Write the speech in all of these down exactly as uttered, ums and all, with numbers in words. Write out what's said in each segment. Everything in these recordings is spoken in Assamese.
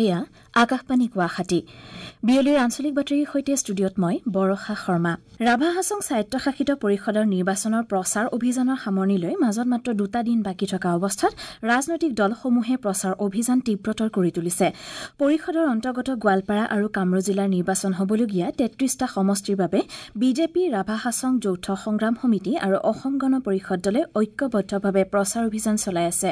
এয়া আকাশবাণী গুৱাহাটী। বিয়লিৰ আঞ্চলিক বাতৰিৰ সৈতে ষ্টুডিঅ'ত মই বৰষা শৰ্মা। ৰাভা হাছং স্বায়ত্তশাসিত পৰিষদৰ নিৰ্বাচনৰ প্ৰচাৰ অভিযানৰ সামৰণিলৈ মাজত মাত্ৰ দুটা দিন বাকী থকা অৱস্থাত ৰাজনৈতিক দলসমূহে প্ৰচাৰ অভিযান তীব্ৰতৰ কৰি তুলিছে। পৰিষদৰ অন্তৰ্গত গোৱালপাৰা আৰু কামৰূপ জিলাৰ নিৰ্বাচন হ'বলগীয়া তেত্ৰিশটা সমষ্টিৰ বাবে বিজেপি, ৰাভা হাছং যৌথ সংগ্ৰাম সমিতি আৰু অসম গণ পৰিষদ দলে ঐক্যবদ্ধভাৱে প্ৰচাৰ অভিযান চলাই আছে।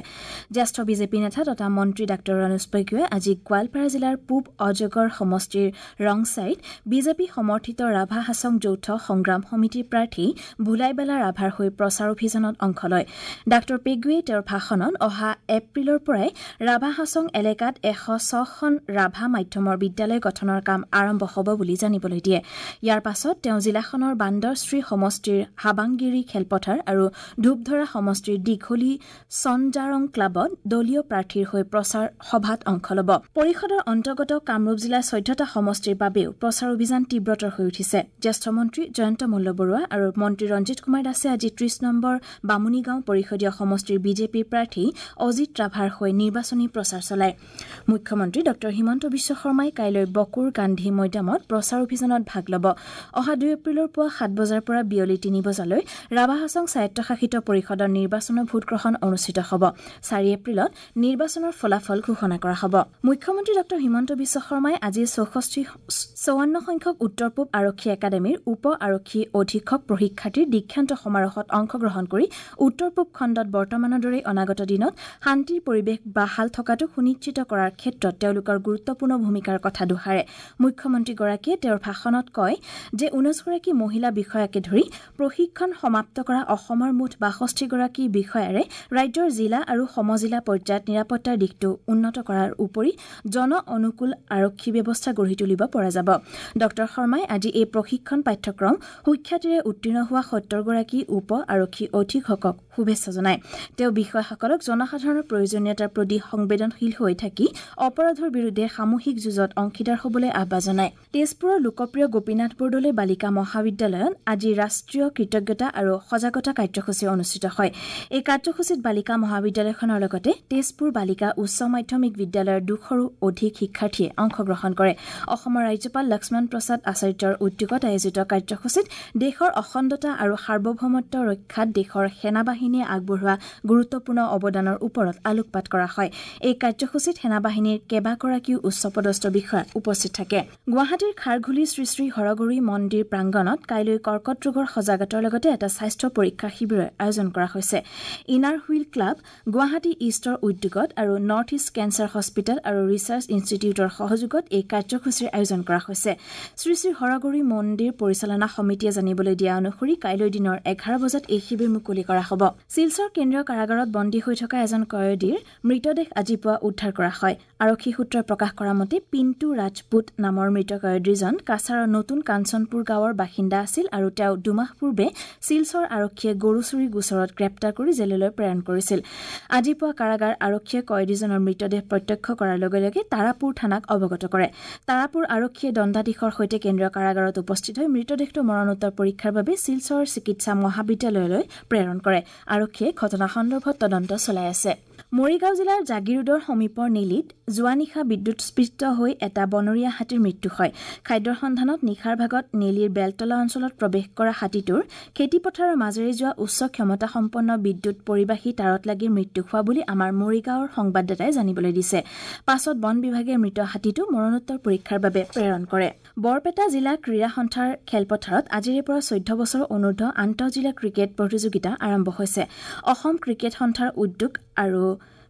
জ্যেষ্ঠ বিজেপি নেতা তথা মন্ত্ৰী ডাঃ ৰণোজ পেগুৱে আজি গোৱালপাৰা জিলাৰ পূব অজগৰ সমষ্টিৰ ৰংচাইত বিজেপি সমৰ্থিত ৰাভা হাছং যৌথ সংগ্ৰাম সমিতিৰ প্ৰাৰ্থী ভুলাইবেলা ৰাভাৰ হৈ প্ৰচাৰ অভিযানত অংশ লয়। ডাঃ পেগুৱে তেওঁৰ ভাষণত অহা এপ্ৰিলৰ পৰাই ৰাভা হাছং এলেকাত এশ ছখন ৰাভা মাধ্যমৰ বিদ্যালয় গঠনৰ কাম আৰম্ভ হ'ব বুলি জানিবলৈ দিয়ে। ইয়াৰ পাছত তেওঁ জিলাখনৰ বান্দৰশ্ৰী সমষ্টিৰ হাবাংগিৰি খেলপথাৰ আৰু ধূপধৰা সমষ্টিৰ দীঘলী চনজাৰং ক্লাবত দলীয় প্ৰাৰ্থীৰ হৈ প্ৰচাৰ সভাত অংশ ল'ব। পৰিষদৰ অন্তৰ্গত কামৰূপ জিলাৰ চৈধ্যটা সমষ্টিৰ বাবেও প্ৰচাৰ অভিযান তীব্ৰতৰ হৈ উঠিছে। জ্যেষ্ঠ মন্ত্ৰী জয়ন্ত মল্ল বৰুৱা আৰু মন্ত্ৰী ৰঞ্জিত কুমাৰ দাসে আজি ত্ৰিশ নম্বৰ বামুণীগাঁও পৰিষদীয় সমষ্টিৰ বিজেপিৰ প্ৰাৰ্থী অজিত ৰাভাৰ হৈ নিৰ্বাচনী প্ৰচাৰ চলায়। মুখ্যমন্ত্ৰী ডাঃ হিমন্ত বিশ্ব শৰ্মাই কাইলৈ বকুৰ গান্ধী মৈদামত প্ৰচাৰ অভিযানত ভাগ ল'ব। অহা দুই এপ্ৰিলৰ পুৱা সাত বজাৰ পৰা বিয়লি তিনি বজালৈ ৰাভা হাছং স্বায়ত্তশাসিত পৰিষদৰ নিৰ্বাচনৰ ভোটগ্ৰহণ অনুষ্ঠিত হ'ব। চাৰি এপ্ৰিলত নিৰ্বাচনৰ ফলাফল ঘোষণা কৰা হ'ব। মুখ্যমন্ত্ৰী ডাঃ হিমন্ত বিশ্ব শৰ্মাই আজি চৌষষ্ঠি চৌৱান্ন সংখ্যক উত্তৰ পূব আৰক্ষী একাডেমীৰ উপ আৰক্ষী অধীক্ষক প্ৰশিক্ষাৰ্থীৰ দীক্ষান্ত সমাৰোহত অংশগ্ৰহণ কৰি উত্তৰ পূব খণ্ডত বৰ্তমানৰ দৰেই অনাগত দিনত শান্তিৰ পৰিৱেশ বাহাল থকাটো সুনিশ্চিত কৰাৰ ক্ষেত্ৰত তেওঁলোকৰ গুৰুত্বপূৰ্ণ ভূমিকাৰ কথা দোহাৰে। মুখ্যমন্ত্ৰীগৰাকীয়ে তেওঁৰ ভাষণত কয় যে ঊনৈছগৰাকী মহিলা বিষয়াকে ধৰি প্ৰশিক্ষণ সমাপ্ত কৰা অসমৰ মুঠ বাষষ্ঠিগৰাকী বিষয়াৰে ৰাজ্যৰ জিলা আৰু সমজিলা পৰ্যায়ত নিৰাপত্তাৰ দিশটো উন্নত কৰাৰ উপৰি জন অনুকূল আৰক্ষী ব্যৱস্থা গঢ়ি তুলিব পৰা যাব। ডাঃ শৰ্মাই আজি এই প্ৰশিক্ষণ পাঠ্যক্ৰম সুখ্যাতিৰে উত্তীৰ্ণ হোৱা সত্তৰগৰাকী উপ আৰক্ষী অধীক্ষকক শুভেচ্ছা জনায়। তেওঁ বিষয়াসকলক জনসাধাৰণৰ প্ৰয়োজনীয়তাৰ প্ৰতি সংবেদনশীল হৈ থাকি অপৰাধৰ বিৰুদ্ধে সামূহিক যুঁজত অংশীদাৰ হ'বলৈ আহ্বান জনায়। তেজপুৰৰ লোকপ্ৰিয় গোপীনাথ বৰদলৈ বালিকা মহাবিদ্যালয়ত আজি ৰাষ্ট্ৰীয় কৃতজ্ঞতা আৰু সজাগতা কাৰ্যসূচী অনুষ্ঠিত হয়। এই কাৰ্যসূচীত বালিকা মহাবিদ্যালয়খনৰ লগতে তেজপুৰ বালিকা উচ্চ মাধ্যমিক বিদ্যালয়ৰ দুশৰো অধিক শিক্ষাৰ্থীয়ে অংশগ্ৰহণ কৰে। অসমৰ ৰাজ্যপাল লক্ষ্মণ প্ৰসাদ আচাৰ্যৰ উদ্যোগত আয়োজিত কাৰ্যসূচীত দেশৰ অখণ্ডতা আৰু সাৰ্বভৌমত্ব ৰক্ষাত দেশৰ সেনাবাহিনীয়ে আগবঢ়োৱা গুৰুত্বপূৰ্ণ অৱদানৰ ওপৰত আলোকপাত কৰা হয়। এই কাৰ্যসূচীত সেনাবাহিনীৰ কেইবাগৰাকীও উচ্চপদস্থ বিষয়া উপস্থিত থাকে। গুৱাহাটীৰ খাৰঘুলি শ্ৰী শ্ৰী হৰগৌৰী মন্দিৰ প্ৰাংগণত কাইলৈ কৰ্কট ৰোগৰ সজাগতাৰ লগতে এটা স্বাস্থ্য পৰীক্ষা শিবিৰৰ আয়োজন কৰা হৈছে। ইনাৰ হুইল ক্লাব গুৱাহাটী ইষ্টৰ উদ্যোগত আৰু নৰ্থ ইষ্ট কেঞ্চাৰ হস্পিটেল আৰু ৰিচাৰ্চ ইনষ্টিটিউটৰ সহযোগত এই কাৰ্যসূচীৰ আয়োজন কৰা হৈছে। শ্ৰী শ্ৰী হৰগৌৰী মন্দিৰ পৰিচালনা সমিতিয়ে জানিবলৈ দিয়া অনুসৰি কাইলৈ দিনৰ এঘাৰ বজাত এই শিবিৰ মুকলি কৰা হ'ব। শিলচৰ কেন্দ্ৰীয় কাৰাগাৰত বন্দী হৈ থকা এজন কয়দীৰ মৃতদেহ আজি পুৱা উদ্ধাৰ কৰা হয়। আৰক্ষী সূত্ৰই প্ৰকাশ কৰা মতে পিণ্টু ৰাজপুত নামৰ মৃত কয়দীজন কাছাৰৰ নতুন কাঞ্চনপুৰ গাঁৱৰ বাসিন্দা আছিল আৰু তেওঁ দুমাহ পূৰ্বে শিলচৰ আৰক্ষীয়ে গৰু চুৰি গোচৰত গ্ৰেপ্তাৰ কৰি জেললৈ প্ৰেৰণ কৰিছিল। আজি পুৱা কাৰাগাৰ আৰক্ষীয়ে কয়দীজনৰ মৃতদেহ প্ৰত্যক্ষ কৰাৰ লগে লগে তাৰাপুৰ থানাক অৱগত কৰে। তাৰাপুৰ আৰক্ষীয়ে দণ্ডাধীশৰ সৈতে কেন্দ্ৰীয় কাৰাগাৰত উপস্থিত হৈ মৃতদেহটো মৰণোত্তৰ পৰীক্ষাৰ বাবে শিলচৰ চিকিৎসা মহাবিদ্যালয়লৈ প্ৰেৰণ কৰে। আৰক্ষীয়ে ঘটনা সন্দৰ্ভত তদন্ত চলাই আছে। মৰিগাঁও জিলাৰ জাগিৰোডৰ সমীপৰ নেলিত যোৱা নিশা বিদ্যুৎস্পৃষ্ট হৈ এটা বনৰীয়া হাতীৰ মৃত্যু হয়। খাদ্যৰ সন্ধানত নিশাৰ ভাগত নেলিৰ বেলতলা অঞ্চলত প্ৰৱেশ কৰা হাতীটোৰ খেতিপথাৰৰ মাজেৰে যোৱা উচ্চ ক্ষমতাসম্পন্ন বিদ্যুৎ পৰিবাহী তাঁৰত লাগি মৃত্যু হোৱা বুলি আমাৰ মৰিগাঁৱৰ সংবাদদাতাই জানিবলৈ দিছে। পাছত বন বিভাগে মৃত হাতীটো মৰণোত্তৰ পৰীক্ষাৰ বাবে প্ৰেৰণ কৰে। বৰপেটা জিলা ক্ৰীড়া সন্থাৰ খেলপথাৰত আজিৰে পৰা চৈধ্য বছৰ অনুৰ্ধ আন্তঃজিলা ক্ৰিকেট প্ৰতিযোগিতা আৰম্ভ হৈছে। অসম ক্ৰিকেট সন্থাৰ উদ্যোগ আৰু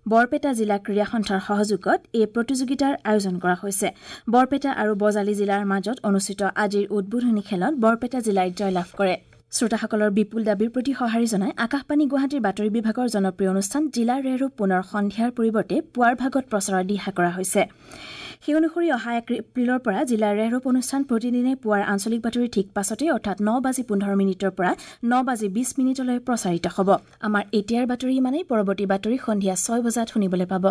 বৰপেটা জিলা ক্ৰীড়া সন্থাৰ সহযোগত এই প্ৰতিযোগিতাৰ আয়োজন কৰা হৈছে। বৰপেটা আৰু বজালী জিলাৰ মাজত অনুষ্ঠিত আজিৰ উদ্বোধনী খেলত বৰপেটা জিলাই জয়লাভ কৰে। শ্ৰোতাসকলৰ বিপুল দাবীৰ প্ৰতি সঁহাৰি জনাই আকাশবাণী গুৱাহাটীৰ বাতৰি বিভাগৰ জনপ্ৰিয় অনুষ্ঠান জিলা ৰেৰো পুনৰ সন্ধিয়াৰ পৰিৱৰ্তে পুৱাৰ ভাগত প্ৰচাৰৰ দিহা কৰা হৈছে। সেই অনুসৰি অহা এক এপ্ৰিলৰ পৰা জিলাৰ ৰেহৰূপ অনুষ্ঠান প্ৰতিদিনে পুৱাৰ আঞ্চলিক বাতৰি ঠিক পাছতেই অৰ্থাৎ ন বাজি পোন্ধৰ মিনিটৰ পৰা ন বাজি বিছ মিনিটলৈ প্ৰচাৰিত হ'ব। আমাৰ এতিয়াৰ বাতৰি ইমানেই। পৰৱৰ্তী বাতৰি সন্ধিয়া ছয় বজাত শুনিবলৈ পাব।